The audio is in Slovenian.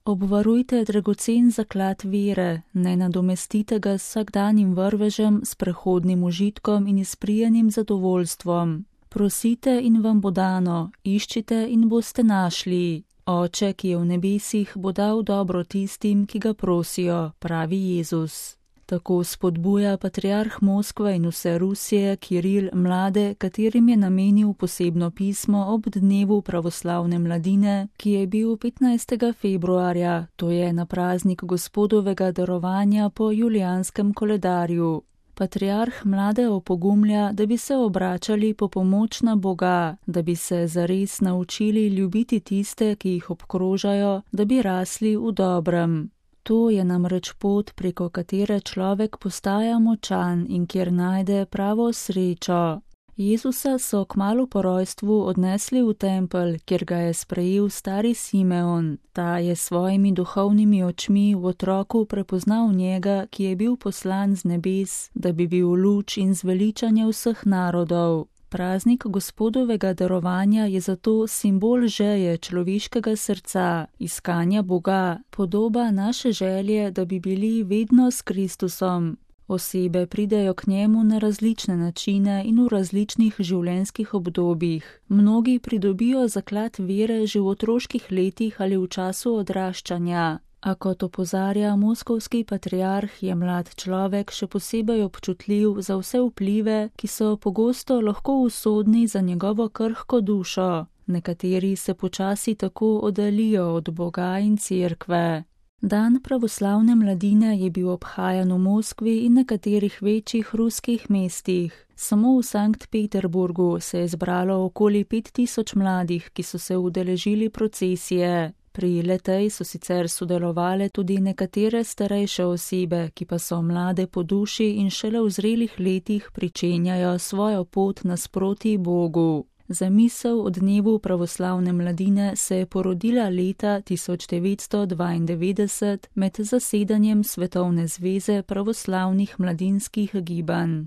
Obvarujte dragocen zaklad vere, ne nadomestite ga s vsakdanjim vrvežem, s prehodnim užitkom in izprijenim zadovoljstvom. Prosite in vam bo dano, iščite in boste našli. Oče, ki je v nebesih, bo dal dobro tistim, ki ga prosijo, pravi Jezus. Tako spodbuja patriarh Moskve in vse Rusije, Kiril, mlade, katerim je namenil posebno pismo ob dnevu pravoslavne mladine, ki je bil 15. februarja, to je na praznik Gospodovega darovanja po julijanskem koledarju. Patriarh mlade opogumlja, da bi se obračali po pomoč na Boga, da bi se zares naučili ljubiti tiste, ki jih obkrožajo, da bi rasli v dobrem. To je namreč pot, preko katere človek postaja močan in kjer najde pravo srečo. Jezusa so kmalu po rojstvu odnesli v tempelj, kjer ga je sprejel stari Simeon. Ta je svojimi duhovnimi očmi v otroku prepoznal njega, ki je bil poslan z nebes, da bi bil luč in zveličanje vseh narodov. Praznik Gospodovega darovanja je zato simbol želje človeškega srca, iskanja Boga, podoba naše želje, da bi bili vedno s Kristusom. Osebe pridejo k njemu na različne načine in v različnih življenjskih obdobjih. Mnogi pridobijo zaklad vere že v otroških letih ali v času odraščanja. A kot opozarja moskovski patriarh, je mlad človek še posebej občutljiv za vse vplive, ki so pogosto lahko usodni za njegovo krhko dušo. Nekateri se počasi tako oddaljijo od Boga in cerkve. Dan pravoslavne mladine je bil obhajan v Moskvi in nekaterih večjih ruskih mestih. Samo v Sankt Peterburgu se je zbralo okoli 5000 mladih, ki so se udeležili procesije. Pri le-tej so sicer sodelovale tudi nekatere starejše osebe, ki pa so mlade po duši in šele v zrelih letih pričenjajo svojo pot nasproti Bogu. Zamisel o dnevu pravoslavne mladine se je porodila leta 1992 med zasedanjem Svetovne zveze pravoslavnih mladinskih gibanj.